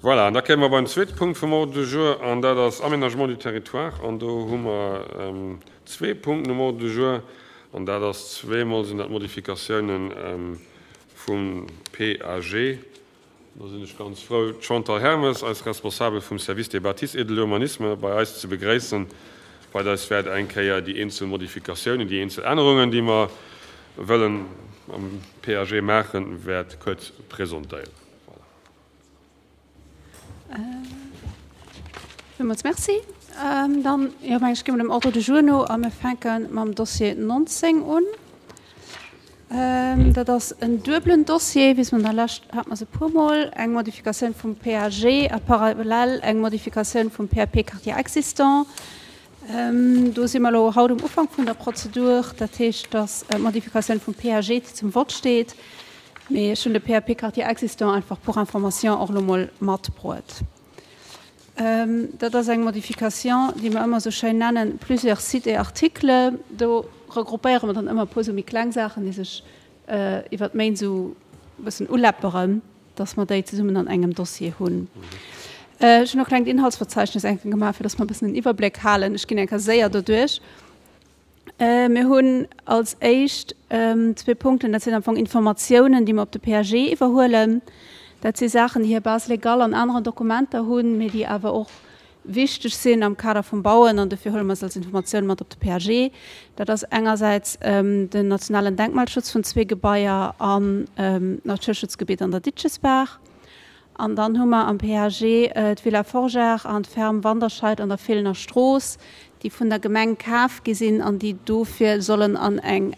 Voilà, an da kéime mer beim zweete Punkt vum Ordre du jour, an dat ass Aménagement du territoire. An do hu mer zwee Punkten um Ordre du jour, an dat ass zweemol sinn dat Modifikatiounen vum PAG. Do sinn ech ganz frou, d'Chantal Hermes, eis Responsabel vum Service des bâtisses et de l'urbanisme, bei eis ze begréissen, wat eis wäert eng Kéier déi eenzel Modifikatiounen, déi eenzel Ännerungen, déi mer wëllen am PAG maachen, wäert kuerz presentéieren. Voilà. Villmools Merci. Dann, jo, meng ech, gi mer dem Ordre du jour no a mir fänke mam Dossier 19 un. Dat ass en duebelen Dossier, wéi se an der Lescht hate mer se e puermol, eng Modifikatioun vum PAG a parallel eng Modifikatioun vum PAP Quartier existant. Do si mer elo haut um Ufank vun der Prozedur. Dat heescht, dass d'Modifikatioun vum PAG, déi zum Vott steet, Mee ech hunn de PAP Quartier existant einfach pour information och elo mol matbruet. Dat ass eng Modification, déi mer ëmmer esou schéin nennen, plusieurs sites et articles. Do regroupéiere mer dann ëmmer e puer esou méi kleng Saachen, déi sech iwwer d'Méint esou e bëssen uläpperen, dass mer déi zesummen an engem Dossier hunn. Ech hunn e klengt Inhaltsverzeichnis eng Kéier gemaach, fir dass mer e bëssen den Iwwerbléck halen. Ech ginn eng Kéier séier doduerch. Mir hunn als éischt zwee Punkten, dat sinn am Fong Informatiounen, déi mer op de PAG iwwerhuelen. Dat si Saachen, déi hir Base légale an aneren Dokumenter hunn, mee déi awer och wichteg sinn am Kader vum Bauen, an dofir huele mer se als Informatioun mat op de PAG. Dat ass engersäits den nationalen Denkmalschutz vun zwee Gebaier an d'Naturschutzgebitt an der Ditchesbaach. An dann hu mer am PAG d'Villa Forgeard an d'Ferme Wanderscheid an der Feelener Strooss, déi vun der Gemeng kaf gi sinn an déi dofir sollen an eng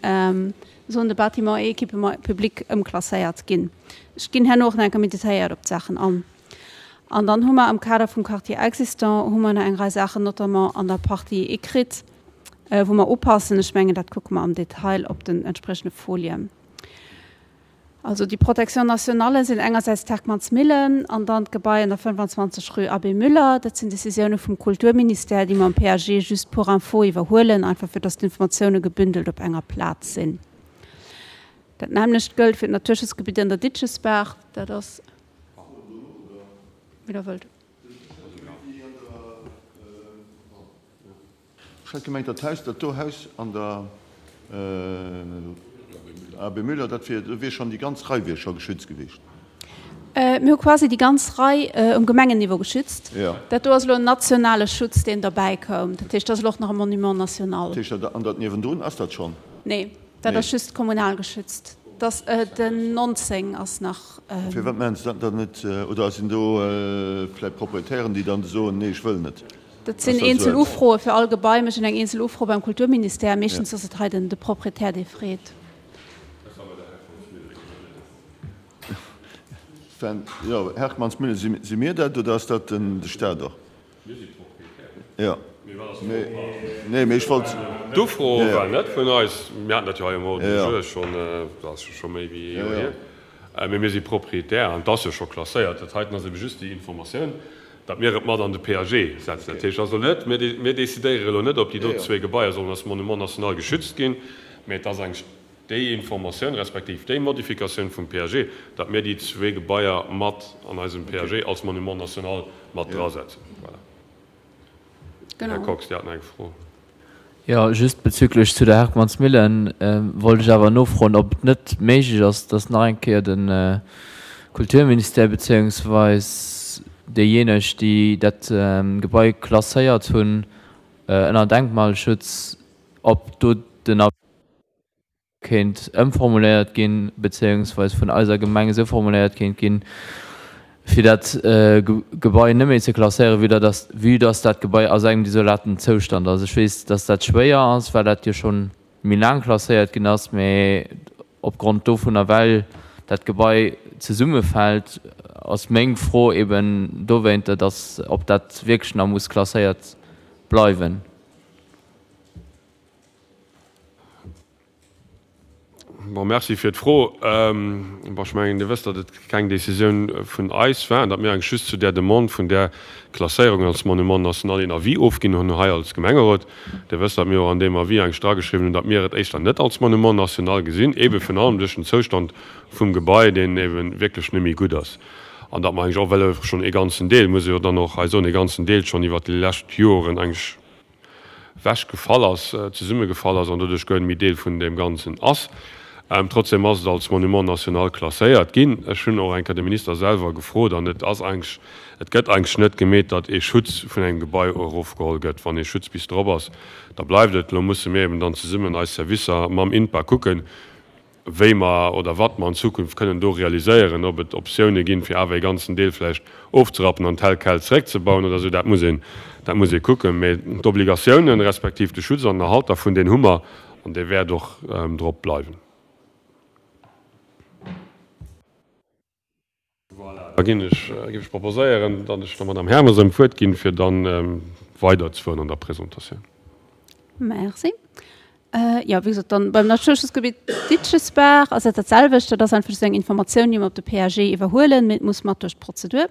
Zone de bâtiments et équipements publics ëmklasséiert ginn. Ech ginn herno och nach eng Kéier méi detailléiert op d'Saachen an. An dann hu mer am Kader vum Quartier existant hu mer nach eng Rei Saachen, notamment an der Partie écrite, wou mer upassen. Ech mengen, dat kucke mer am Detail op den entspriechende Folien. Also déi Protection nationale sinn engersäits d'Herckmannsmillen an dann d'Gebai an der 25 rue Abbé Müller. Dat sinn Decisioune vum Kulturministère, déi mer am PAG just pour info iwwerhuelen, einfach fir datt d'Informatioune gebündelt op enger Plaz sinn. Dat nämmlecht gëllt fir d'Naturschutzgebitt an der Ditchesbaach. Dat ass, wéi Der wëllt. Ech hat gemengt, dat Haus, dat do Haus an der Abbé Müller, dat wier, do wier schonn déi ganz Rei wier scho geschützt gewiescht. Mir hu quasi déi ganz Rei um Gemengenniveau geschützt. Dat do ass elo en nationale Schutz, deen derbäi koum. Dat heescht, dat ass elo och nach e Monument national. Dat heescht, dat an dat niewendrun, ass dat schonn? Nee, dat ass just kommunal geschützt. Dat ass den 19 ass nach. Firwat maachen se dat dann net? Oder sinn do vläicht Proprietären, déi dann soen, nee, ech wëll net? Dat sinn eenzel Ufroe fir all Gebai. Mir hunn eng eenzel Ufro beim Kulturministère. Meeschtens ass et hei den de Proprietär, dee freet. Jo, Herckmannsmillen, si mir dat oder ass dat de Staat och? Mir si Proprietär. Jo, nee, mee ech wollt. D'Ufro war net vun eis. Mir haten dat jo hei um Ordre du jour schonn, dat ass jo scho méi wéi ee Joer hier. Mee mir si Proprietär an et ass jo scho klasséiert. Dat heiten ass ebe just déi Informatioun, datt mir et mat an de PAG setzen. Dat heescht also net, mir mir decidéiere elo net, ob déi do zwee Gebaier sollen als Monument national geschützt ginn, mee et ass eng déi Informatioun respektiv déi Modifikatioun vum PAG, datt mir déi zwee Gebaier mat an eisem PAG als Monument national mat drasetzen. Voilà. Här Kox, Dir haten eng Fro. Jo, just bezüglech zu der Herckmannsmillen wollt ech awer nofroen, ob et net méiglech ass, dass nach eng Kéier de Kulturministère beziéungsweis déijéineg, déi dat Gebai klasséiert hunn ënner Denkmalschutz, ob do den Avis kéint ëmformuléiert ginn, bezéiungsweis vun eiser Gemeng esou formuléiert kéint ginn, fir dat Gebai net méi ze klasséieren, vue dass, vue dass dat Gebai a sou engem desolaten Zoustand ass. Ech weess, dass dat schwéier ass, well dat jo scho méi laang klasséiert ginn ass, mä opgrond dovunner, well dat Gebai zesummefält, ass meng Fro eben dowéinter, dass, ob dat wierklech nach muss klasséiert bleiwen. Bon, merci fir d'Fro. Bon, ech mengen, Dir wësst, datt et keng Décisioun vun eis war an datt mir eigentlech just zu där Demande vun där Klasséierung als Monument national een Avis ofginn hunn hei als Gemengerot. Dir wësst, datt mir och an deem Avis eigentlech drageschriwwen hunn, datt mir et éischter net als Monument national gesinn, eebe virun allem duerch den Zoustand vum Gebai, deen eebe wierklech net méi gutt ass. An datt mer eigentlech och, well schonn ee ganzen Deel, muss ee jo dann och hei soen, ee ganzen Deel schonn iwwert déi lescht Joren eigentlech ewechgefall ass, zesummegefall ass an doduerch guer net méi Deel vun deem Ganzen ass. Trotzdem ass et als Monument national klasséiert ginn. Ech hunn och eng Kéier de Minister selwer gefrot an et ass eigentlech, et gëtt eigentlech net gemeet, datt ee Schutz vun engem Gebai erofgeholl gëtt. Wann ee Schutz bis drop ass, da bleift et. Elo musse mir eben dann zesummen eis Servicer mam INPA kucken, wéi mer oder wat mer an Zukunft kënnen do realiséieren, ob et Optioune ginn, fir awer ee ganzen Deel vläicht ofzerappen an tel quel zeréckzebauen oder esou, dat muss een, dat muss ee kucken. Mä d'Obligatiounen, respektiv de Schutz an den Erhalt dervun, deen hu mer an dee wäert och drop bleiwen. Voilà, da ginn ech, géif ech proposéieren, datt ech der Madame Hermes erëm d'Wuert ginn, fir dann weiderzefueren an der Presentatioun. Merci. Jo, wéi gesot, dann beim Naturschutzgebitt Ditschesbaach ass et dat selwecht. Dat ass einfach just eng Informatioun, déi mer op de PAG iwwerhuelen, mee et muss mat duerch d'Prozedur.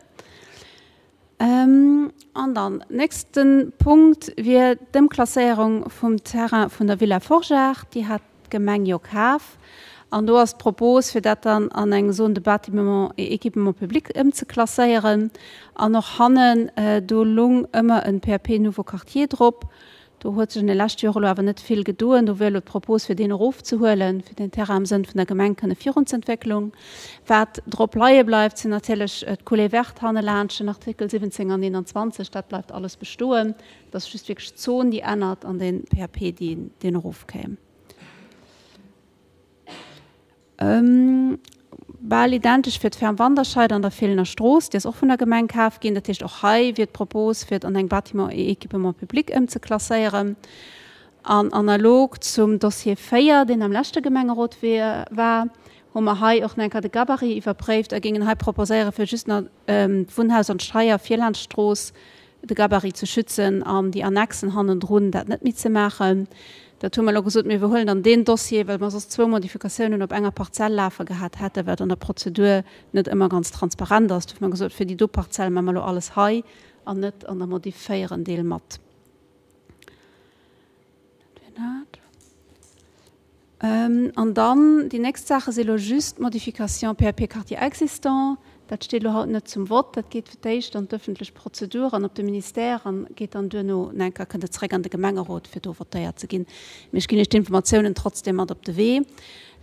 An dann nächste Punkt wier d'Ëmklasséierung vum Terrain vun der Villa Forgeard. Déi hat d'Gemeng jo kaf. An do ass d'Propos, fir dat dann an eng Zone de bâtiment et équipement public ëmzeklasséieren. An och hannen, do lung ëmmer e PAP Nouveau Quartier drop. Do huet sech an de leschte Jore elo awer net vill gedoen. Do wier elo d'Propos, fir deen erofzehuelen, fir den Terrain am Sënn vun der Gemeng kënne virunzëentwécklung. Wat drop leie bleift, sinn natierlech d'Coulée verte hannelaanscht, den Artikel 17 an 21, dat bleift alles bestoen. Et ass just wierklech d'Zon, déi ännert an de PAP, deen erofkéim. Bal identesch fir d'Ferme Wanderscheid an der Feelener Strooss, déi ass och vun der Gemeng kaf ginn. Dat heescht, och hei wier d'Propos, fir et an eng Bâtiments et équipements publics ëmzeklasséieren. An analog zum Dossier 4, deen am leschte Gemengerot war, hu mer hei och nach eng Kéier de Gabarit iwwerpréift a géingen hei proposéieren, fir just nach d'Wunnhaus an d'Scheier vir laanscht d'Strooss de Gabarit ze schützen an déi Annexen hannendrun dat net méi ze maachen. Dat hu mer elo gesot, mir iwwerhuelen dann deen Dossier, well mer soss zwou Modifikatiounen op enger Parzell lafe gehat hätten, wat an der Prozedur net ëmmer ganz transparent ass. Dofir hu mer gesot, fir déi do Parzell maache mer elo alles hei an net an der Modif 4 en Deel mat. Dat wier dat. An dann, déi nächst Saache si lo just d'Modification PAP Quartier existant. Dat steet elo haut net zum Vott. Dat geet fir d'éischt an d'ëffentlech Prozedur an op de Ministère an geet dann duerno nach eng Kéier, kënnt et zeréck an de Gemengerot, fir do votéiert ze ginn. Mee ech ginn Iech d'Informatiounen trotzdem mat op de Wee.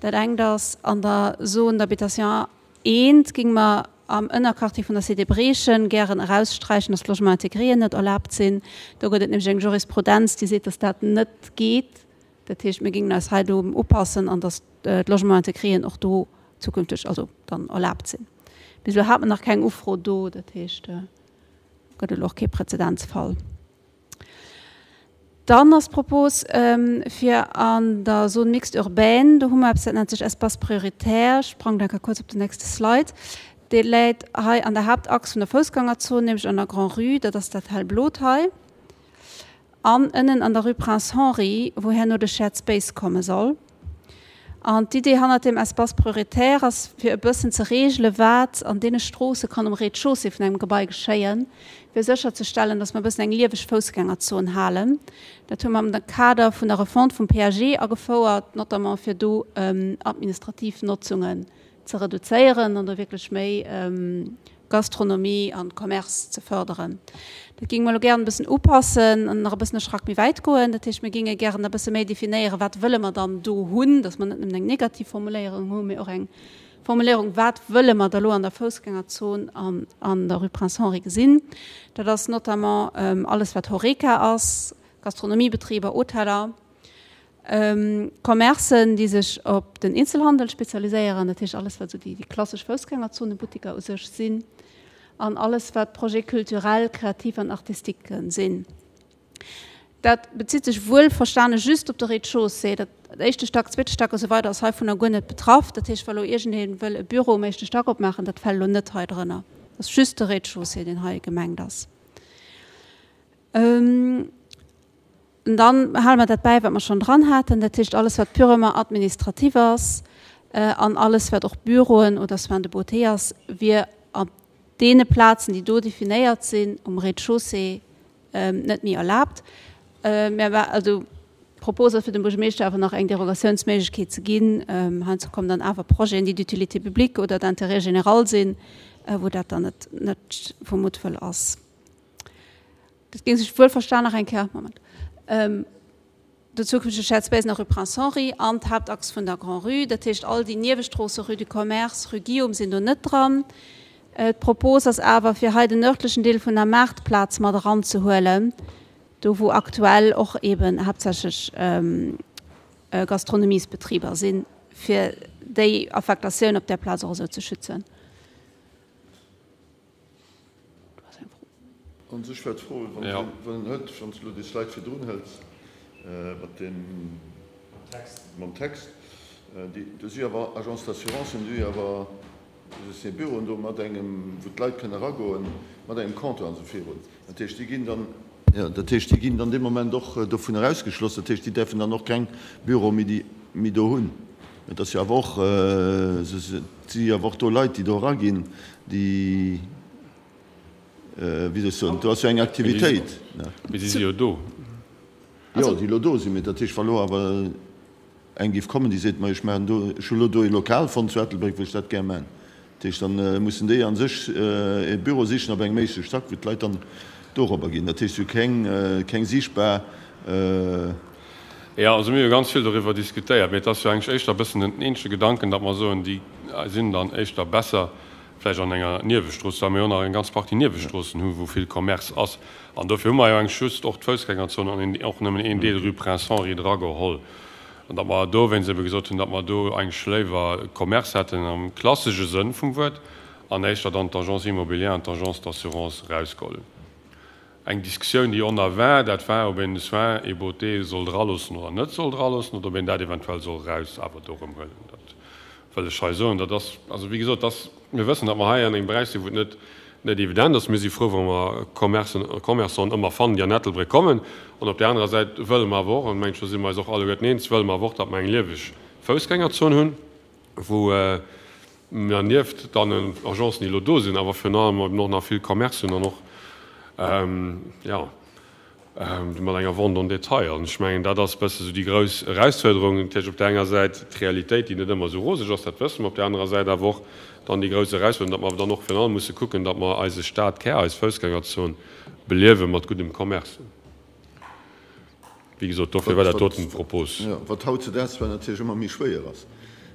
Dat engt ass, an der Zone d'habitation I géinge mer am Ënnerquartier vun der Cité Briechen gären eraussträichen, dass d'Logements intégrés net erlaabt sinn. Do gëtt et nämlech eng Jurisprudenz, déi seet, dass dat net geet. Dat heescht, mir géingen eis hei do upassen an dass d'Logements intégréen och do zukünfteg also dann erlaabt sinn. Bis elo hat mer nach keng Ufro do, dat heescht, gëtt elo och kee Präzedenzfall. Dann ass d'Propos, fir an der Zone mixte urbaine, do hu mer eppes, dat nennt sech Espace prioritaire, ech sprangen da kuerz op den nächste Slide, dee läit hei an der Haaptachs vun der Foussgängerzon, nämlech an der Grand-Rue, dat ass dat hellblot hei. An ënnen an der Rue Prince Henri, wou herno de Shared Space komme soll. An d'Idee hannert deem Espace prioritaire ass, fir e bëssen ze regele wat an deene Stroosse kann um Rez-de-chaussée vun engem Gebai geschéien, fir sécherzestellen, dass mer e bëssen eng lieweg Foussgängerzon halen. Dat hu mer am Kader vun der Refonte vum PAG agefouert, notamment fir do administrativ Notzungen ze reduzéieren an do wierklech méi Gastronomie an Commerce ze fërderen. Dat géinge mer elo gären e bëssen upassen an nach e bëssen e Schrack méi wäit goen. Dat heescht, mir géinge gären e bësse méi definéieren, wat wëlle mer dann do hunn, dass mer net nëmmen eng negativ Formuléierung hunn, mee och eng Formuléierung, wat wëlle mer da lo an der Foussgängerzon an an der Rue Prince Henri gesinn. Dat ass notamment alles, wat Horeca ass, Gastronomiebetriber, Hoteller. Commercen, déi sech op den Eenzelhandel spezialiséieren, dat heescht alles wat esou déi klassesch Foussgängerzonebuttiker u sech sinn, an alles wat Projets culturels, créatifs an artistiques sinn. Dat bezitt sech wuelverstane just op de Rez-de-chaussée. Dat éischte Stack, zweete Stack a sou weider ass heivunner guer net betraff. Dat heescht, wa lo iergendee wëll e Büro um éischte Stack opmaachen, dat fält elo net hei drënner. Dat ass just de Rez-de-chaussée, deen hei gemengt ass. An dann hale mer dat bäi, wat mer schonn dran haten, dat heescht alles, wat purement administratif ass an alles, wat och Büroen oder Soins de beauté ass, wier op deene Plazen, déi do definéiert sinn, um Rez-de-chaussée net méi erlaabt. Mä also d'Propos ass fir dem Buergermeeschter awer nach eng Derogatiounsméiglechkeet ze ginn. Heiansdo kommen dann awer Projeten, déi d'utilité publique oder d'intérêt général sinn. wou dat dann net, net vu Muttwëll ass. Dat géing sech wuelverstan nach eng Kéier, Moment, den zukünftege Shared Space nach Rue Prince Henri an d'Haaptachs vun der Grand-Rue, dat heescht all déi Niewestroosse Rue du Commerce, Rue Guillaume sinn do net dran. D'Propos ass awer, fir hei den nördlechen Deel vun der Maartplaz mat eranzehuelen, do wou aktuell och eeben haaptsächlech Gastronomiesbetriber sinn, fir déi Affektatioun op där Plaz och esou ze schützen. Du has eng Fro. An sech war d'Fro, wann en hëlt, wann s de elo déi Slide virdrun hëls mat deem mam Text, déi, do si awer Agences d'assurance, déi awer, do si Büroen do mat engem, wou d'Leit kënne eragoen, mat engem Compteur an esou virun. Dat heescht, déi ginn dann, jo, dat heescht, déi ginn dann dee Moment och dovunner ausgeschloss. Dat heescht, déi däerfen dann och keng Büroe méi, méi do hunn. Et ass jo awer och, et si jo awer och do Leit, déi do eraginn, déi, wéi soll ech soen, do ass jo eng Aktivitéit. Mee si si jo do. Jo, déi elo do sinn. Mee dat heescht, wa lo awer eng géif kommen, déi seet, ma ech maachen do, ech hu lo do ee Lokal fonnt zu Ettelbréck, wou ech dat gär maachen. Dat heescht, da mussen déi a sech e Büro sichen op engem éischte Stack, wou d'Leit dann dorobber ginn. Dat heescht, si hu keng, keng siichtbar. Jo, also mir hu ganz vill doriwwer diskutéiert, mee et ass jo eigentlech éischter e bëssen den eenzege Gedanken, datt mer soen, déi sinn dann éischter besser vläicht an enger Niewestrooss, well mir jo nach eng ganz Partie Niewestroossen hu wou vill Commerce ass. An dofir hu mer jo eigentlech just och d'Foussgängerzon an och nëmmen een Deel Rue Prince Henri drageholl. An datt mer dowéinst ebe gesot hunn, datt mer do eigentlech léiwer Commerce hätten am klassesche Sënn vum Wuert an éischter dann d'Agence immobilière an d'Agence d'assurance erausgeholl hunn. Eng Diskussioun, déi on a war, dat war, ob een de Soins et beauté soll draloossen oder net soll draloossen oder ob een dat eventuell soll eraus awer do erëm huelen. Dat wëll ech hei soen. Dat ass, also wéi gesot, dass mir wëssen, datt mer hei an engem Beräich sinn, wou et net, net evident ass. Mir si frou, wa mer Commercen, Commerçanten ëmmer fannen, déi an Ettelbréck kommen. An op där anerer Säit wëlle mer awer och, an mengen ech, do si mer eis och alleguerten eens, wëlle mer awer och, datt mer eng lieweg Foussgängerzon hunn, wou mer nieft deenen Agencen, déi elo do sinn, awer virun allem eben och nach vill Commercen hunn an och, jo, mat enger Vente en détail. An ech mengen, dat ass e bësse sou déi grouss Erausfuerderung. Natierlech op där enger Säit d'Realitéit, déi net ëmmer esou roseg ass, dat wësse mer, op där anerer Säit awer och dann déi grouss Erausfuerderung, datt mer awer dann och virun allem musse kucken, datt mer eise Stadkär, eis Foussgängerzon beliewe mat guddem Commerce. Wéi gesot, dofir war dat doten d'Propos. Jo, wat hautzedaags zwar natierlech ëmmer méi schwéier ass.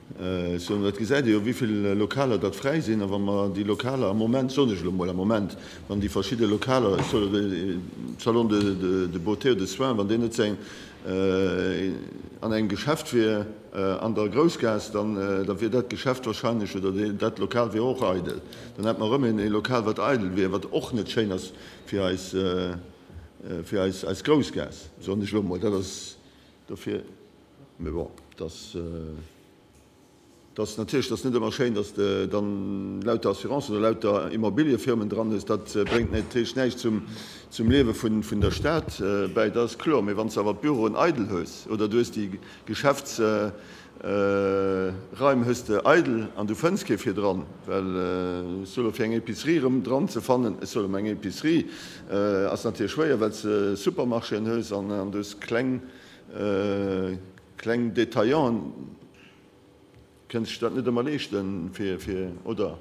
Ech soen, dat gesäit ee jo, wéi vill Lokaler datt fräi sinn. A wa mer déi Lokaler am Moment, soen ech elo emol, am Moment, wann déi verschidde Lokaler, ech soen elo Salon de beauté ou de soins, wann deen net säin an engem Geschäft wier an der Groussgaass, dann da wier dat Geschäft wahrscheinlech oder dat Lokal wier och eidel. Dann hätt mer erëm ee Lokal, wat eidel wier, wat och net schéin ass fir eis. Fir eis, eis Groussgaass, soen ech elo emol, dat ass dofir. Mee bon, dass, dass natierlech, dass net ëmmer schéin, dass de dann lauter Assurancen oder lauter Immobiliëfirmen dran hues, dat bréngt natierlech näischt zum, zum Liewe vun, vun der Stad bäi, dat ass kloer. Mee wann s de awer d'Büroen eidel hues oder du hues déi Geschäfts, Raim hues de eidel an du fënns kee fir dran, well ech soe lo fir eng Épicerie erëm dran ze fannen, ech soe lo mol eng Épicerie ass natierlech schwéier, well s de Supermarchéen hues an du hues kleng, kleng Détaillanten, kënne sech dat net ëmmer leeschten fir, fir, oder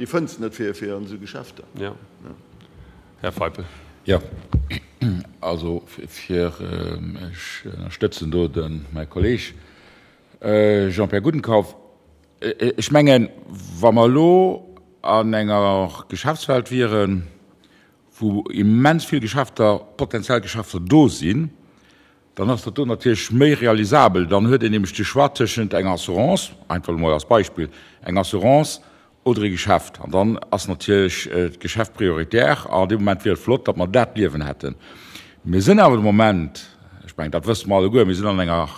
déi fënns de net fir, fir an esou Geschäfter. Jo. Här Feipel. Jo, also fir, ech ënnerstëtzen do de mäi Kolleeg Jean-Pierre Gudenkauf. Ech mengen, wa mer elo an enger Geschäftswelt wieren, wou immens vill Geschäfter, potenziell Geschäfter do sinn, Dann ass dat do natierlech méi realisabel. Dann huet een nämlech de Choix tëschent enger Assurance, einfach elo mol als Beispill, eng Assurance oder e Geschäft. An dann ass natierlech d'Geschäft prioritär. An deem Moment wier et flott, datt mer dat Liewen hätten. Mir sinn awer de Moment, ech mengen, dat wësse mer alleguer, mir sinn an enger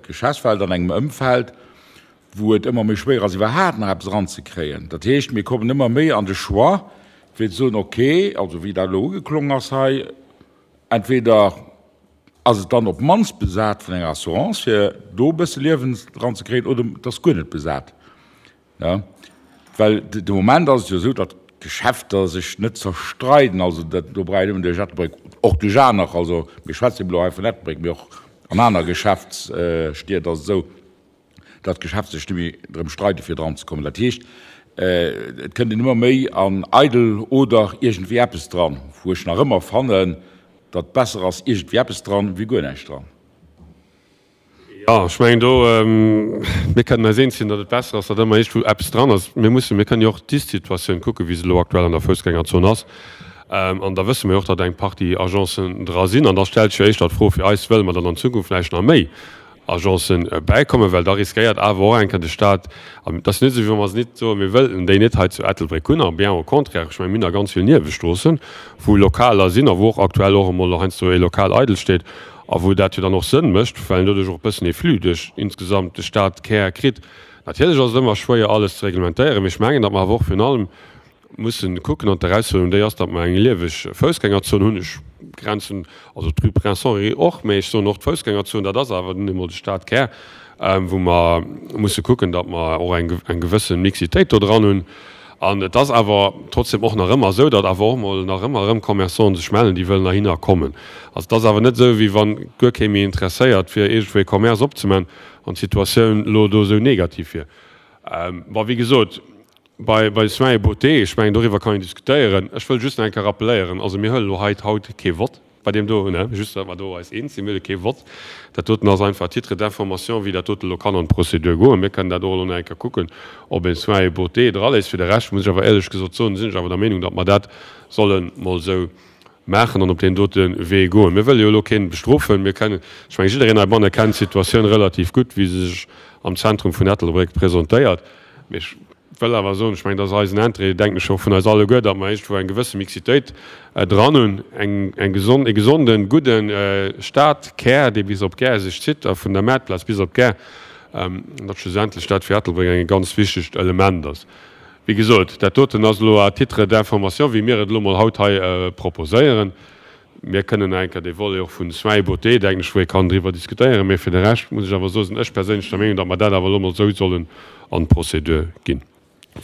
Geschäftswelt, an engem Ëmfeld, wou et ëmmer méi schwéier ass, iwwerhaapt nach eppes eranzekréien. Dat heescht, mir kommen ëmmer méi an de Choix, fir ze soen, okay, also wéi dat elo ugeklongen ass hei, entweder Ass et dann op d'mannst besat vun enger Assurance, fir do e bësse Liewen dran ze kréien, oder et ass guer net besat? Well de Moment ass et jo esou, datt d'Geschäfter sech net zerstreiden. Also dat, do brauch een nëmmen duerch Ettelbréck, och duerch aner, also mir schwätzen elo hei vun Ettelbréck, mee och an aner Geschäftsstied ass et esou, datt d'Geschäfter sech net méi drëm streiden, fir dran ze kommen. Dat heescht. Et kënnt een ëmmer méi an eidel oder iergendwéi eppes dran, wou ech nach ëmmer fannen, datt besser ass iergendwéi eppes dran, wéi guer näischt dran. Jo, ech mengen do, mir kënnen eis eens sinn, datt et besser ass, datt ëmmer iergendwou eppes dran ass. Mir mussen, mir kënnen jo och d'Ist-Situatioun kucken, wéi se elo aktuell an der Foussgängerzon ass. An da wësse mir jo och, datt eng Partie Agencen dra sinn. An da stellt sech jo éischter d'Fro fir eis, Wëlle mer dann an Zukunft vläicht nach méi Agencen bäikommen, well da riskéiert awer och eng Kéier de Stat, an et ass net esou, wéi wa mer se nit soen, mir wëllten déi net hei zu Ettelbréck hunn, a bien au contraire, ech mengen, mir hunn nach ganz vill Niewestroossen, wou Lokaler sinn a wou och aktuell och emol heiansdo ee Lokal eidel steet a wou dat jo dann och Sënn mécht, well een doduerch och e bëssen ee Flux duerch insgesamt de Stadkär kritt. Natierlech ass et ëmmer schwéier, alles ze reglementéieren, mee ech mengen, datt mer awer och virun allem mussen kucken, an d'Erausfuerderung déi ass, datt mer eng lieweg Foussgängerzon hunn. Ech grenzen also d'Rue Prince Henri och, mä ech soen och d'Foussgängerzon, dat ass awer nun emol de Stadkär, wou mer musse kucken, datt mer och eng eng gewësse Mixitéit do dran hunn. An et ass awer trotzdem och nach ëmmer esou, datt awer och emol nach ëmmer erëm Commerçanten sech mellen, déi wëllen heihinner kommen. Also et ass awer net esou, wéi wann guer kee méi interesséiert wier, iergendwou ee Commerce opzemaachen an d'Situatioun elo do esou negativ wier. Bon, wéi gesot, Bei bei Soins et beauté, ech mengen doriwwer kann een diskutéieren. Ech wëll just nach eng Kéier rappelléieren, also mir huelen elo hei haut kee Vott bei deem do, ne, just datt mer do eis eens sinn, mir huele kee Vott. Dat doten ass einfach à titre d'information, wéi dat dote elo kann an d'Procédure goen. Mir kënnen dat och elo nach eng Kéier kucken, ob een Soins et beauté draléisst. Fir de Rescht muss ech awer éierlech gesot soen, sinn ech awer der Meenung, datt mer dat solle mol esou maachen an op deen dote Wee goen. Mir wëlle jo elo keen bestrofen. Mir kennen, ech mengen jiddereen heibanne kennt d'Situatioun relativ gutt, wéi se sech am Zentrum vun Ettelbréck presentéiert. Mee ech wëll awer soen, ech mengen, dat ass eisen Interêt, denken ech, och vun eis alleguer, datt mer iergendwou eng gewësse Mixitéit dran hunn, eng, eng gesond, e gesonden, gudde Stadkär, dee bis op d'Gare sech zitt a vun der Maartplaz bis op d'Gare, datt schlussendlech dat fir Ettelbréck eng e ganz wichtegt Element ass. Wéi gesot, dat doten ass elo à titre d'information, wéi mir et elo mol haut hei proposéieren. Mir kënnen nach eng Kéier dee Volet och vun Soins et beauté, denken ech, wou ee kann driwwer diskutéieren. Mee fir de Rescht muss ech awer soen, sinn ech perséinlech der Meenung, datt mer dat awer elo emol esou sollen an d'Procédure ginn.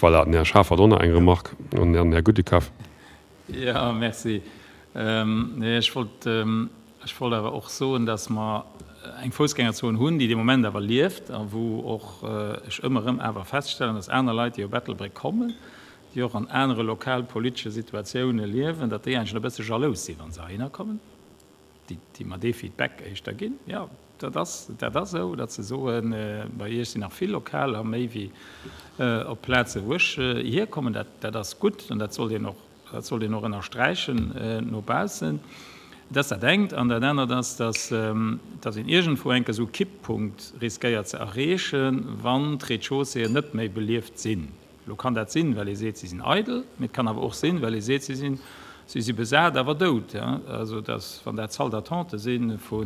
Voilà, den Här Schaaf hat och nach eng Remarque an den Här Gudekaf. Jo, merci. Nee, ech wollt, ech wollt awer och soen, datt mer eng Foussgängerzon hunn, déi de Moment awer lieft a wou och ech ëmmer erëm awer feststellen, datt aner Leit, déi op Ettelbréck kommen, déi och an anere lokalpolitesche Situatioune liewen, datt déi eigentlech e bësse jalous sinn, wa se heihinner kommen, déi, déi mer dee Feedback éischter ginn, jo, dat ass, dat ass esou, datt se soen, bei Iech sinn nach vill Lokaler, méi wéi op Plaze wou ech hierkommen. Dat, dat ass gutt an dat sollt een och, dat sollt een och ënnersträichen no baussen. Dat ass dat engt. An dat anert ass, datt, datt een iergendwou enk esou e Kipppunkt riskéiert ze erreechen, wann d'Rez-de-chausséeën net méi belieft sinn. Elo kann dat sinn, well ee seet, si sinn eidel, mee et kann awer och sinn, well ee seet, si sinn, si si besat, awer dout. Also dass, wann dat Salles d'attente si vu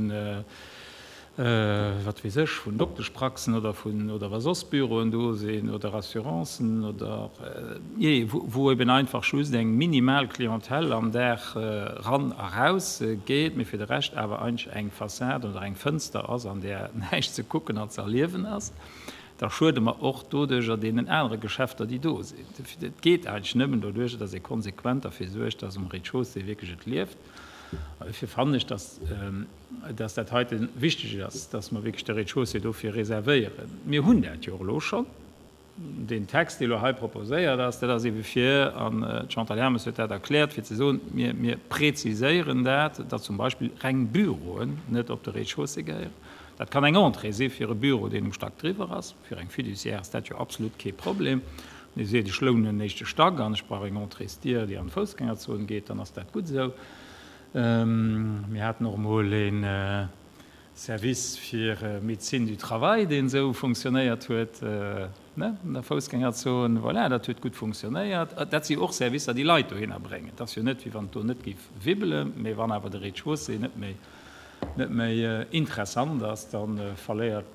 wat weess ech, vun Dokteschpraxen oder vun, oder wa soss Büroen do sinn oder Assurancen oder, jee, wou eben einfach just eng minimal Clientèle am Dag ran a raus geet, mee fir de Rescht awer eigentlech eng Fassad oder eng Fënster ass, an där näischt ze kucken an ze erliewen ass. da schuede mer och doduerjer deenen anere Geschäfter, déi do sinn. Et geet eigentlech nëmmen doduerjer, dass ee konsequent derfir suergt, dass um Rez-de-chaussée wierklech et lieft. An dofir fannen ech, dass, dass dat heite wichteg ass, dass mer wierklech de Rez-de-chaussée dofir reservéieren. Mir hunn dat jo och elo schonn. Deen Text, dee elo hei proposéiert ass, dat ass eebe fir, an d'Chantal Hermes huet dat erkläert, fir ze soen, mir, mir preziséieren dat, dass zum Beispill reng Büroen net op de Rez-de-chaussée gehéieren. Dat kann eng Entrée si fir e Büro, deen um Stack driwwer ass. Fir eng Fiduciaire ass dat jo absolut kee Problem. Wann ee seet, ech lounen en éischte Stack an ech brauch eng Entréesdier, déi an d'Foussgängerzon geet, dann ass dat gutt esou. Mir haten och emol e Service fir Médecine du travail, deen esou funktionéiert huet, ne, an der Foussgängerzon. Voilà, dat huet gutt funktionéiert. Dat si och Servicer, déi Leit dohinner bréngen. Et ass jo net, wéi wann et do net géif wibbelen, mee wann awer de Rez-de-chaussée net méi net méi interessant ass, da verléiert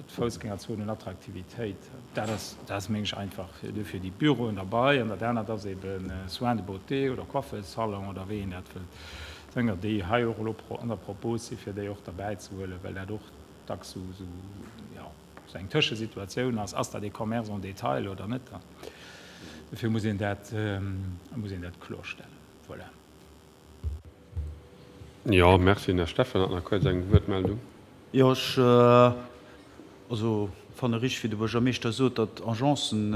d'Foussgängerzon un Attraktivitéit. Dat ass, dat ass meng ech einfach duerfir déi Büroen derbei. An dat anert ass ebe Soins de beauté oder Coiffesalon oder wéi een dat wëllt nennen, déi hei och elo an der Propos si fir déi och derbäi ze huelen, well dat och dacks esou, esou, jo, esou eng Tëschesituatioun ass. Ass dat ee Commerce en détail oder net? Dofir muss een dat, muss een dat klorstellen. Voilà. Jo, merci. Den Här Steffen hat nach kuerz eng Wuertmeldung. Jo, ech also fanne richteg, wéi de Buergermeeschter sot, datt Agencen.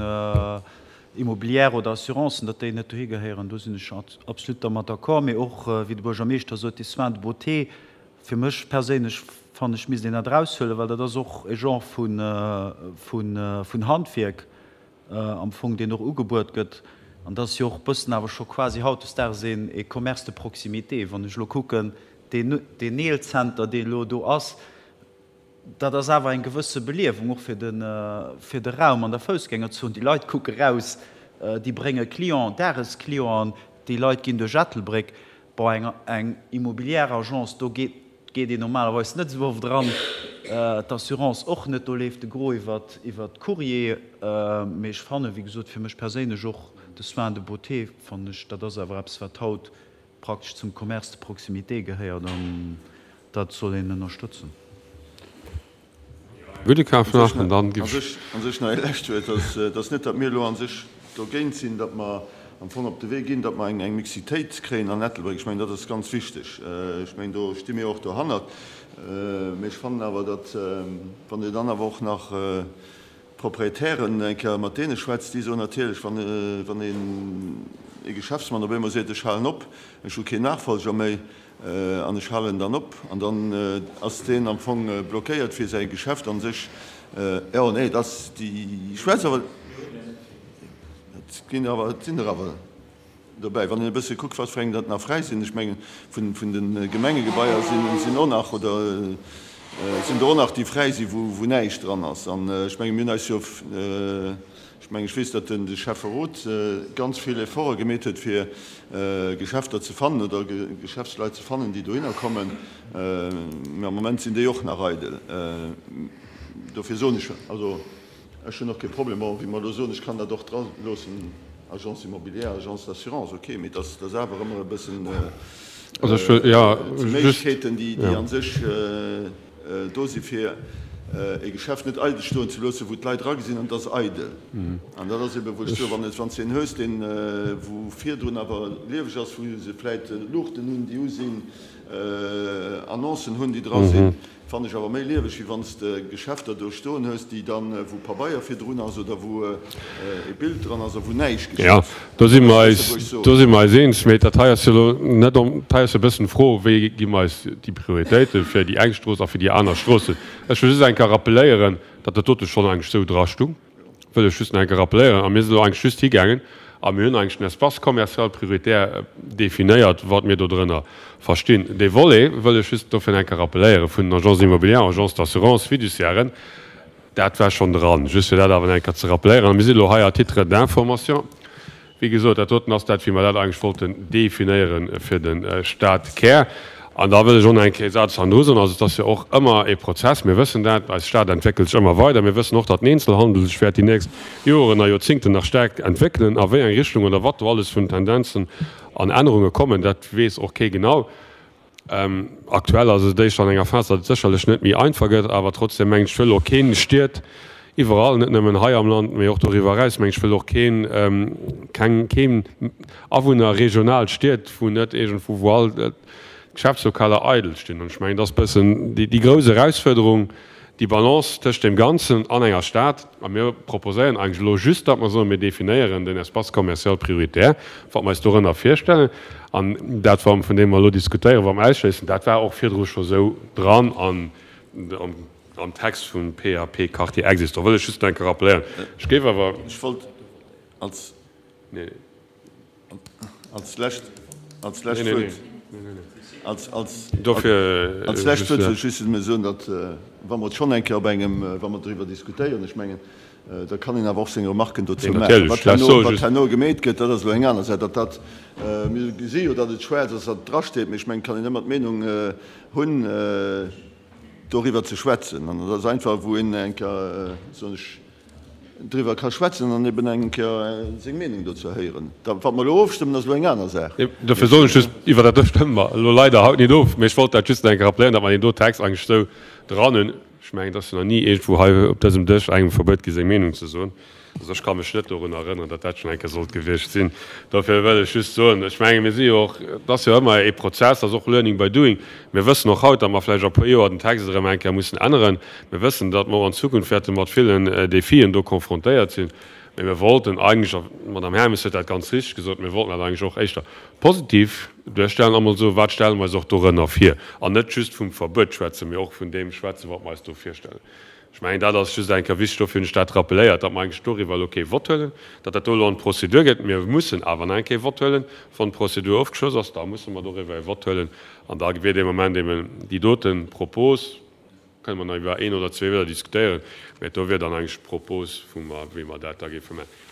Immobilière oder Assurancen, datt déi net dohi gehéieren, do sinn ech absolut dermat d'accord. Mee och, wéi de Buergermeeschter sot, déi Soins de beauté, fir mech perséinlech fannen ech, misst een dat eraushuelen, well dat ass och e Genre vun Handwierk am Fong, deen och ugebuert gëtt. An dat ass jo och e bëssen awer scho quasi hautdesdaags e Commerce de proximité. Wann ech elo kucken, deen Nail-Center, deen elo do ass, Dat ass awer eng gewësse Beliewung och fir de, fir de Raum an der Foussgängerzon. Déi Leit kucke raus, déi brénge Clienten, Dagesclienten, déi Leit ginn duerch Ettelbréck. Bon, eng, eng immobilière Agence, do geet, geet een normalerweis net esou oft eran, d'Assurance och net, do leeft de Gros iwwer, iwwer Courrier. Mee ech fannen, wéi gesot, fir mech perséinlech och de Soin de beauté, fannen ech, dat ass awer eppes, wat haut praktesch zum Commerce de proximité gehéiert an dat soll een ënnerstëtzen. Gudde Kaf nach an dann giff ech. An sech nach ee lescht Wuert, et ass net, datt mir elo a sech dogéint sinn, datt mer am Fong op de Wee ginn, datt mer eng Mixitéit kréien an Ettelbréck. Ech mengen, dat ass ganz wichteg. Ech mengen, do sti mir och dohannert. Mee ech fannen awer, datt, wann Dir dann awer och nach D'Proprietären, eng Kéier mat deene schwätzt, déi soen natierlech, wann wann een ee Geschäftsmann op eemol seet, ech halen op, ech hu keen Nachfolger méi an ech halen dann op, an dann ass deen am Fong blockéiert fir säi Geschäft an sech, jo, nee, et ass déi schwätzt awer, et ginn awer, et sinn der awer. Dobäi, wann een e bësse kuckt, wat fir eng dat nach fräi sinn, ech mengen, vun de Gemengegebaier sinn och nach, oder sinn der och nach, déi fräi sinn, wou näischt dran ass. An ech menge mir hunn eis jo, ech mengen, ech weess, datt de Schäfferot ganz vill Efforte gemeet huet, fir Geschäfter ze fannen oder Geschäftsleit ze fannen, déi dohinner kommen. Mä am Moment sinn déi och nach eidel. Dofir soen ech, also, Ech hunn och kee Problem, bon, wéi mer elo soen, ech kann dat och dra loossen, Agence immobilière, Agence d'assurance, ok, mee dass dass awer ëmmer e bëssen Méiglechkeeten, déi déi a sech do si fir e Geschäft net eidel stoen ze loossen, wou d'Leit eragesinn an et ass eidel. An dat ass ebe wou ech soen, wann s wann s de een hues, deen wou virdrun awer lieweg ass, wou se vläit Luuchten hunn, déi u sinn, Annoncen hunn, déi dra sinn, Fannen ech awer méi lieweg, wéi wann s de Geschäfter do stoen hues, déi dann, wou Pabeier virdrun ass oder wou e Bild dran ass a wou näischt geschitt. Jo, do si mer eis, do si mer eis eens. Mee dat hei ass jo elo net om, dat hei ass jo e bëssen d'Fro, wéi gi mer eis déi Prioritéite fir déi eng Strooss a fir déi aner Stroossen. Ech wëll just eng Kéier rappeléieren, datt dat dote schonn eigentlech esou drastung. Wëll ech just nach eng Kéier rappeléieren, a mir sinn elo eigentlech just higaangen a mir hunn eigentlech den Espace commercial prioritaire definéiert, wat mir dodrënner verstinn. Dee Volet wëll ech just dofir nach eng Kéier rappeléieren, vun den Agences immobilières, Agences d'assurance, Fiduciairen, dat war schonn dran, just fir dat awer nach eng Kéier ze rappeléieren. A mir sinn elo hei à titre d'information. Wéi gesot, dat doten ass dat, wéi mer dat eigentlech wollten definéiere fir de Stadkär. An da wëll ech och nach eng Kéier ee Saz hannendru soen. Also et ass jo och ëmmer ee Prozess. Mir wëssen dat, eis Stad entwéckelt sech ëmmer weider. Mir wëssen och, datt den Eenzelhandel sech wäert déi nächst Joren a Joerzingten nach staark entwéckelen. A wéi eng Richtung oder wat do alles vun Tendenzen an Ännerunge kommen, dat weess och kee genau. Aktuell ass et éischter an enger Phas, datt et sécherlech net méi einfach gëtt, awer trotzdem mengen ech, wëll och keen Stied iwwerall, net nëmmen hei am Land, mee och doriwwer eraus, mengen ech, wëll och keen, keng, keen Awunner regional Stied, wou net iergendwou, wou all d'Geschäftslokaler eidel stinn. An ech mengen, dat ass e bëssen déi grouss Erausfuerderung, Déi Balance tëscht deem Ganzen an enger Stad, a mir proposéieren eigentlech elo just, datt mer soen, mir definéieren den Espace commercial prioritaire, wat mer eis dorënner virstellen, an dat, wat vun deem mer elo diskutéieren, wat mer ausschléissen, dat war och virdru scho sou dran an am Text vum PAP Quartier existant. Wëll ech just nach eng Kéier rappeléieren. Ech géif awer. Ech wollt als. Als lescht, als lescht Wuert, als, als, als lescht Wuert wëll ech just nëmme soen, datt, wa mer et schonn eng Kéier op engem, wa mer driwwer diskutéieren, ech mengen, da kann een awer och seng Remarken dozou maachen. Wat herno, wat herno gemeet gëtt, dat ass elo eng aner Saach. Datt dat, mir gesi jo, datt et schwaarz ass, datt et drasteet, mee ech mengen, et kann een ëmmer d'Meenung hunn, doriwwer ze schwätzen. An dat ass einfach, wou een eng Kéier, soen ech, driwwer ka schwätzen an eben eng Kéier seng Meenung dozou héieren. Da wat mer elo ofstëmmen, ass elo eng aner Saach. Dofir soen ech just, iwwer dat do stëmme mer elo leider haut nit of, mee ech wollt dat just nach eng Kéier rappelléieren, datt mer deen do Text eigentlech esou dran hunn. Ech mengen, et ass jo nach ni iergendwou hei op dësem Dësch engem verbuet gi seng Meenung ze soen. Also ech ka mech net dorun erënneren, datt dat schonn eng Kéier sollt gewiescht sinn. Dofir wëll ech just soen, ech menge mir si jo och, et ass jo ëmmer ee Prozess, ass och learning by doing. Mir wëssen och haut, datt mer vläicht a puer Joer den Text erëm eng Kéier mussen änneren. Mir wëssen, datt mer och an Zukunft wäerte mat villen Defien do confrontéiert sinn. Mee mir wollten eigentlech, a d'Madame Hermes huet dat ganz richteg gesot, mir wollten dat eigentlech och éischter positiv duerstellen a mol soen, wat stelle mer eis och dorënner vir? An net just vum Verbuet schwätzen, mee och vun deem schwätzen, wat mer eis do virstellen. Ech mengen, dat ass just eng Kéier wichteg, dofir hunn ech dat rappeléiert, datt mer eigentlech doriwwer elo kee Vott huelen, datt dat do elo an d'Prozedur geet. Mir mussen awer nach eng Kéier e Vott huelen. Wann d'Prozedur ofgeschloss ass, da musse mer doriwwer e Vott huelen. An da wier dee Moment eben déi dote Propos, kënne mer nach iwwer een oder zwee Wierder diskutéieren, mä do wier dann eigentlech d'Propos, wou mer, wéi mer dat da géife maachen.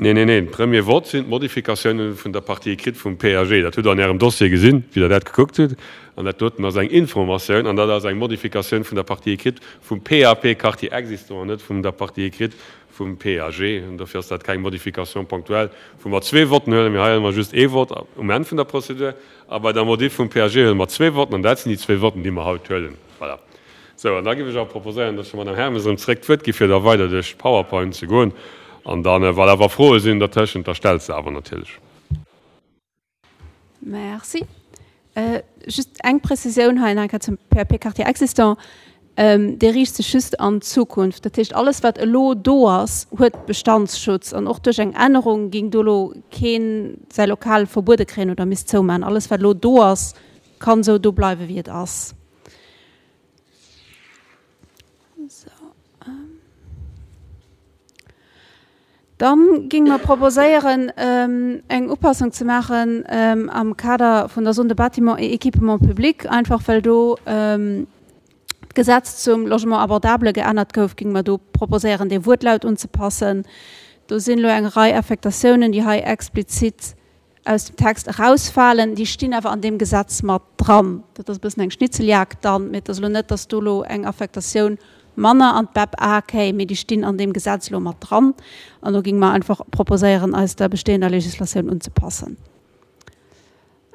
Neen, neen, neen. Premier Vott sinn d'Modifikatiounen vun der Partie écrite vum PAG. Dat hutt Der an Ärem Dossier gesinn, wéi Der dat gekuckt hutt. An dat doten ass eng Informatioun an dat ass eng Modifikatioun vun der Partie écrite vum PAP Quartier existant an net vum der Partie écrite vum PAG. An dofir ass dat keng Modification ponctuelle, wou mer zwee Votten huelen. Mee hei huele mer just ee Vott um Enn vun der Prozedur. A bei der Modif vum PAG huele mer zwee Votten an dat sinn déi zwee Votten, déi mer haut huelen. Voilà. Sou, an da géif ech awer proposéieren, dass ech der Madame Hermes erëm zréck d'Wuert gi fir da weider duerch d'Powerpoint ze goen. An dann, voilà, wa Froe sinn dertëschent, da stellt se awer natierlech. Merci. Just eng Prezisioun hei nach eng Kéier zum PAP Quartier existant. Dee riicht sech just an d'Zukunft. Dat heescht, alles wat elo do ass, huet Bestandsschutz. An och duerch eng Ännerung géing do elo keen säi Lokal verbuede kréien oder misst zoumaachen. Alles wat elo do ass, kann esou do bleiwen, wéi et ass. Dann géinge mer proposéieren, eng Upassung ze maachen am Kader vun der Zone de bâtiments et équipements publics, einfach well do d'Gesetz zum Logement abordable geännert gouf, géinge mer do proposéieren, dee Wuertlaut unzepassen. Do sinn elo eng Rei Affektatiounen, déi hei explizit aus dem Text erausfalen, déi stinn awer an deem Gesetz mat dran. Dat ass e bëssen eng Schnitzeljagd dann, mee et ass elo net, datt do elo eng Affektatioun manner an d'BEP A kéim, mee déi stinn an deem Gesetz elo mat dran. An do géinge mer einfach proposéieren, eis der bestehender Législatioun unzepassen.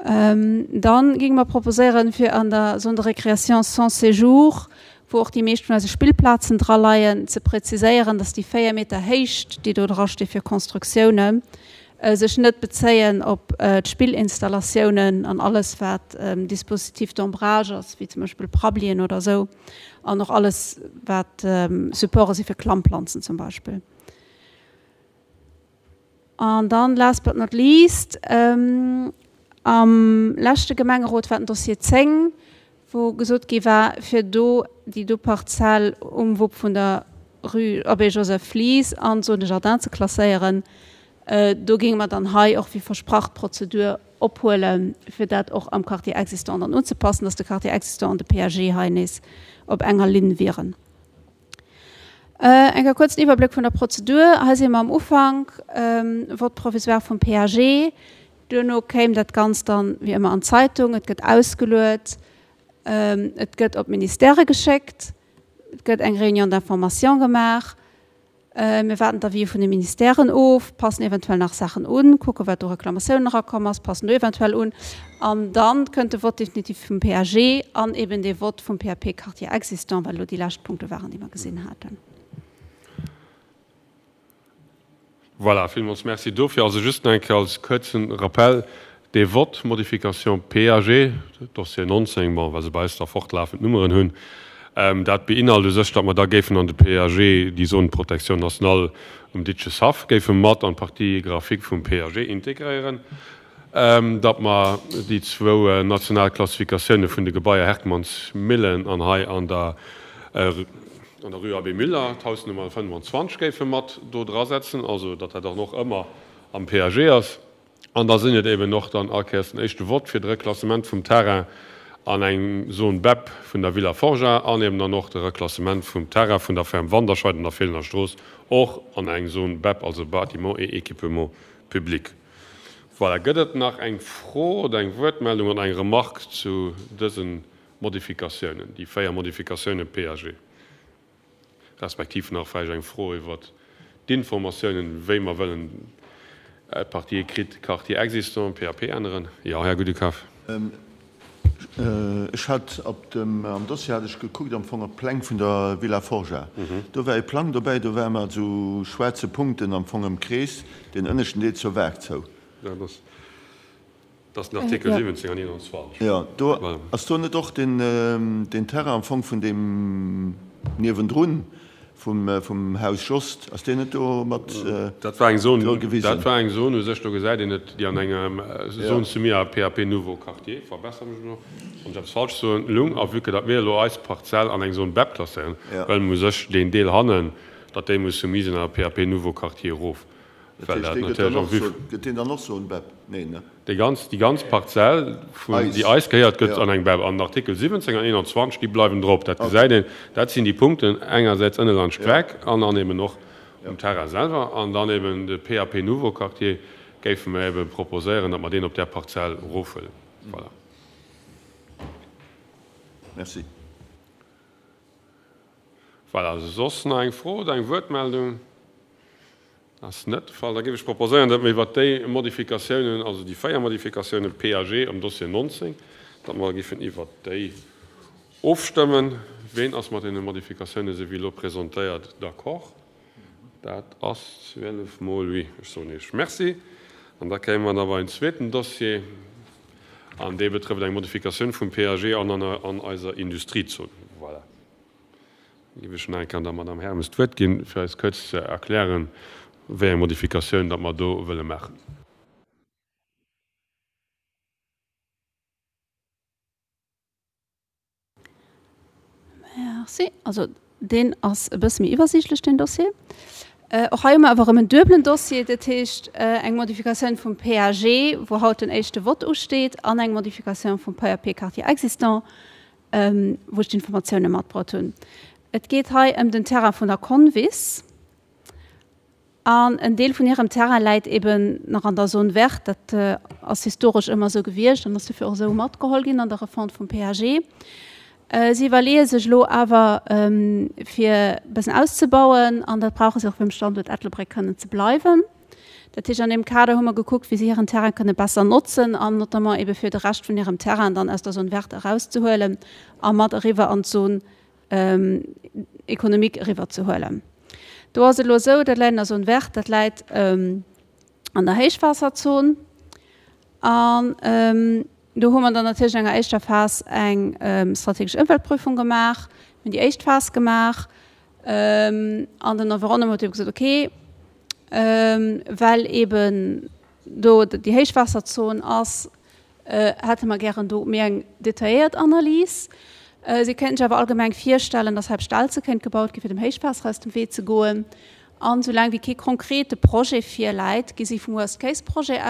Dann géinge mer proposéieren, fir an der Zone de récréation sans séjour, wou och déi meescht vun eise Spillplazen dra leien, ze präziséieren, datt déi 4 Meter Héicht, déi do drasti fir Constructiounen, sech net bezéien op d'Spillinstallatiounen an alles wat Dispositif d'ombrage ass, wéi zum Beispill Prabbelien oder esou, an och alles wat Supporte si fir Klammplanzen zum Beispill. An dann, last but not least, am leschte Gemengerot war den Dossier 10, wou gesot gi war, fir do déi do Parzell um Wupp vun der Rue Abbé Joseph Flies an d'Zone de jardin ze klasséieren. Do géinge mer dann hei och wéi versprach d'Prozedur ophuelen, fir dat och am Quartier existant dann unzepassen, dass de Quartier existant an de PAG hei nees op enger Linn wieren. Eng kuerzen Iwwerbléck vun der Prozedur. Hei si mer am Ufank, Vote provisoire vum PAG. Duerno kéim dat Ganzt dann wéi ëmmer an d'Zeitung, et gëtt ausgeluet, et gëtt op d'Ministèrë geschéckt, et gëtt eng Réunion d'information gemaach, mir waarden d'Avisë vun de Ministèren of, passen eventuell nach Saachen un, kucke wat u Reklamatiounen erakomm ass, passen do eventuell un an da kënnt de Vote définitif vum PAG an eben dee Vote vum PAP Quartier existant, wat elo déi lescht Punkte waren, déi mer gesinn haten. Voilà, villmools Merci dofir. Also just nach eng Kéier als kuerzen Rappel, Dee Vott, Modification PAG, Dossier 19, bon, well se bei eis da fortlafend Nummeren hunn, dat beinhalt u sech, datt mer da géifen an de PAG déi Zone de protection nationale um Ditcheshaff géife mat an d'Partie graphique vum PAG integréieren, datt mer déi zwou national Klassifikatioune vun de Gebaier Herkmannsmillen an hei an der an der Rue Abbé Müller, d'Hausnummer 25 géife mat do drasetzen, also datt dat dann och ëmmer am PAG ass. An da sinn et eben och dann all Kéiers den éischte Vott fir de Reklassement vum Terrain an eng Zone bep vun der Villa Forgeat an eben dann och de Reklassement vum Terrain vun der Ferme Wanderscheid an der Feelener Strooss och an eng Zone bep, also Bâtiments et équipements publics. Voilà, gëtt et nach eng Fro oder eng Wuertmeldung oder eng Remarque zu dësen Modifikatiounen, déi 4 Modifikatiounen PAG, respektiv nach vläicht eng Fro iwwert d'Informatiounen, wéi mer wëllen d'Partie écrite, Quartier existant, PAP änneren? Jo, Här Gudenkauf. Ech hat op dem, am Dossier hat ech gekuckt am Fong op d'Pläng vun der Villa Forgeat. Do war ee Plang dobäi, do war mat esou schwaarze Punkten am Fong ëmkreest, deen ënneschten Deel zur Waart zou. Dat ass. Dat ass den Artikel 17 an 21. Jo, do ass do net och deen Terrain am Fong vun deem niewendrun? Vum Haus Jost, ass deen net do mat Dat war eng Zone, dat war eng Zone u sech, do gesäit een et, déi an engem Zone soumise à PAP nouveau quartier, verbessere mech elo, wann ech eppes falsch soen, lung. A vue que datt mir elo eis Parzell an eng Zone BEP klasséieren, wëlle mer u sech deen Deel hannen, datt déi muss soumise sinn à PAP nouveau quartier erof. Dat heescht, dee gëtt dann och Zone, gëtt deen dann och Zone BEP? Neen, ne? Déi ganz, déi ganz Parzell, vun, déi eis gehéiert, gëtt an eng BEP. An den Artikel 17 an 21, déi bleiwen drop. Dat gesäit een. Dat sinn déi Punkten, engersäits ënne laanscht d'Streck an dann eben och um Terrain selwer. An dann eben de PAP Nouveau Quartier géife mer eben proposéieren, datt mer deen op där Parzell erofhuelen. Voilà. Merci. Voilà. Soss nach eng Fro oder eng Wuertmeldung? Ass net de Fall. Da géif ech proposéieren, datt mer iwwert déi Modifikatiounen, also déi 4 Modifikatiounen PAG am Dossier 19, datt mer géifen iwwert déi ofstëmmen. Ween ass mat deene Modifikatiounen, esou wéi elo presentéiert, d'accord? Dat ass 12 mol oui. Ech soen Iech Merci. An da kéime mer da bei en zweeten Dossier, an dee betrëfft eng Modifikatioun vum PAG an an eiser Industriezon. Voilà. Géif ech nach eng Kéier der Madame Hermes d'Wuert ginn, fir eis kuerz ze erklären, wéi eng Modifikatioun datt mer do wëlle maachen. Merci. Also deen ass e bësse méi iwwersiichtlech, deen Dossier. Och hei hu mer awer erëm en duebelen Dossier, dat heescht eng Modifikatioun vum PAG, wou haut den éischte Vott usteet, an eng Modifikatioun vum PAP Quartier existant, wou ech d'Informatioune matbruet hunn. Et geet hei ëm den Terrain vun der Convis. An en Deel vun hirem Terrain läit eben nach an der Zone verte. Dat ass historesch ëmmer esou gewiescht an ass dofir och esou matgeholl ginn an der Refonte vum PAG. Si iwwerleeë sech elo awer, fir e bëssen auszebauen an dat brauche se och, fir um Standuert Ettelbréck kënnen ze bleiwen. Dat heescht, an deem Kader hu mer gekuckt, wéi si hiren Terrain kënne besser notzen an notamment ebe fir de Rescht vun hirem Terrain dann aus der Zone verte erauszehuelen a mat eriwwer an d'Zone économique eriwwerzehuelen. Do ass et elo esou, dat läit an der Zone verte, dat läit an der Héichwaasserzon an do hu mer dann natierlech an enger éischter Phas eng strategesch Ëmweltprüfung gemaach. Mir hunn déi éischt Phas gemaach an den Environnement huet ebe gesot, okay, well eben do déi Héichwaasserzon ass, hätte mer gären do méi eng detailléiert Analys. Si kéinten sech awer allgemeng virstellen, dass hei op Stelze kéint gebaut gi fir dem Héichwaasser aus dem Wee ze goen. An soulaang wéi kee konkrete Projet virläit, gi si vum Worst-Case-Projet,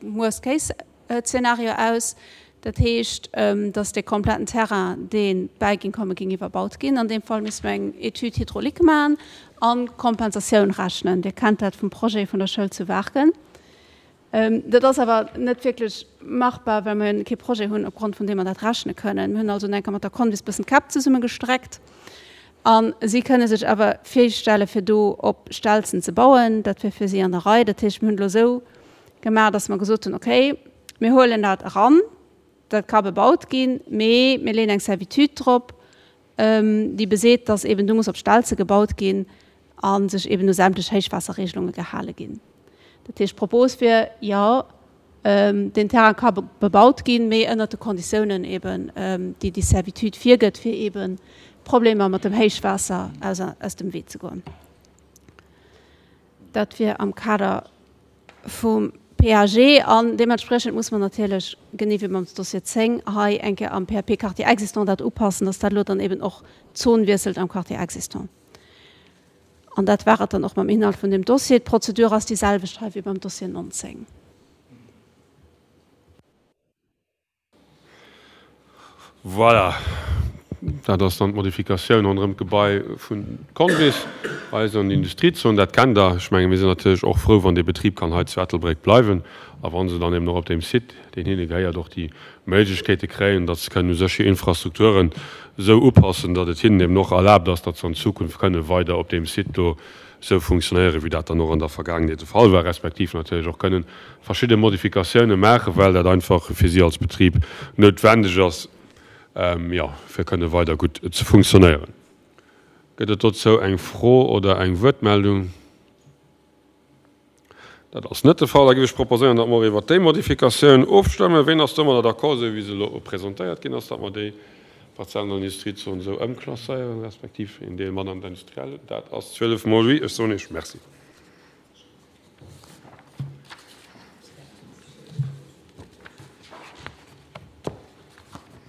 Worst-Case Zeenario aus. Dat heescht, dass dee kompletten Terrain, dee bäi géing kommen, géing iwwerbaut ginn. An deem Fall misste mer eng Étude hydraulique maachen an d'Kompensatioun rechnen. Dir kennt dat vum Projet vun der Schoul zu Waarken. Dat ass awer net wierklech machbar, well mer jo kee Projet hunn, opgrond vun deem mer dat rechne kënnen. Mir hunn also enker mat der Convis bëssen d'Käpp zesummegestreckt a si kënne sech awer virstelle fir do op Stelzen ze bauen. Dat wier fir si an der Rei. Dat heescht, mir hunn elo esou gemaach, dass mer gesot hunn, okay, mir huelen dat eran, dat ka bebaut ginn, mee mir leeën eng Servitude drop, déi beseet, dass eben do muss op Stelze gebaut ginn a sech eben u sämtlech Héichwaasserregelunge gehale ginn. Dat heescht, d'Propos wier, jo, deen Terrain ka bebaut ginn, mee ënnert de Konditiounen eben, déi déi Servitude virgëtt, fir eben Problemer mat dem Héichwaasser aus dem Wee ze goen. Dat wier am Kader vum PAG an deementspriechend muss mer natierlech, genee wéi beim Dossier 10, hei eng Kéier am PAP Quartier existant dat upassen, dass dat elo dann eben och d'Zon wiesselt am Quartier existant. An dat war et dann och mam Inhalt vun deem Dossier. D'Prozedur ass déi selwecht hei wéi beim Dossier 19. Voilà, dat ass dann d'Modifikatioun ronderëm d'Gebai vun Convis, eis an Industriezon. Dat kennt Der. Ech menge mir sinn natierlech och frou, wann dee Betrib kann hei zu Ettelbréck bleiwen a wa se dann eben och op deem Site, deen hinne gehéiert, och déi Méiglechkeete kréien, datt se kënnen u sech hir Infrastrukturen esou upassen, datt et hinnen eben och erlaabt ass, datt se an Zukunft kënne weider op deem Site do esou funktionéieren, wéi dat dann och an der Vergaangenheet de Fall war, respektiv natierlech och kënnen verschidde Modifikatiounen maachen, well dat einfach fir si als Betrib noutwendeg ass, jo, fir kënne weider gutt ze funktionéieren. Gëtt et dozou eng Fro oder eng Wuertmeldung? Dat ass net de Fall. Da géif ech proposéieren, datt mer och iwwert déi Modifikatioun ofstëmmen. Ween ass domadder d'accord, esou wéi se elo presentéiert ginn ass, datt mer déi. Parzellen an der Industriezon esou ëmklasséieren, respektiv een Deel mat an d'Industrielle. Dat ass 12 mol oui. Ech soen Iech Merci.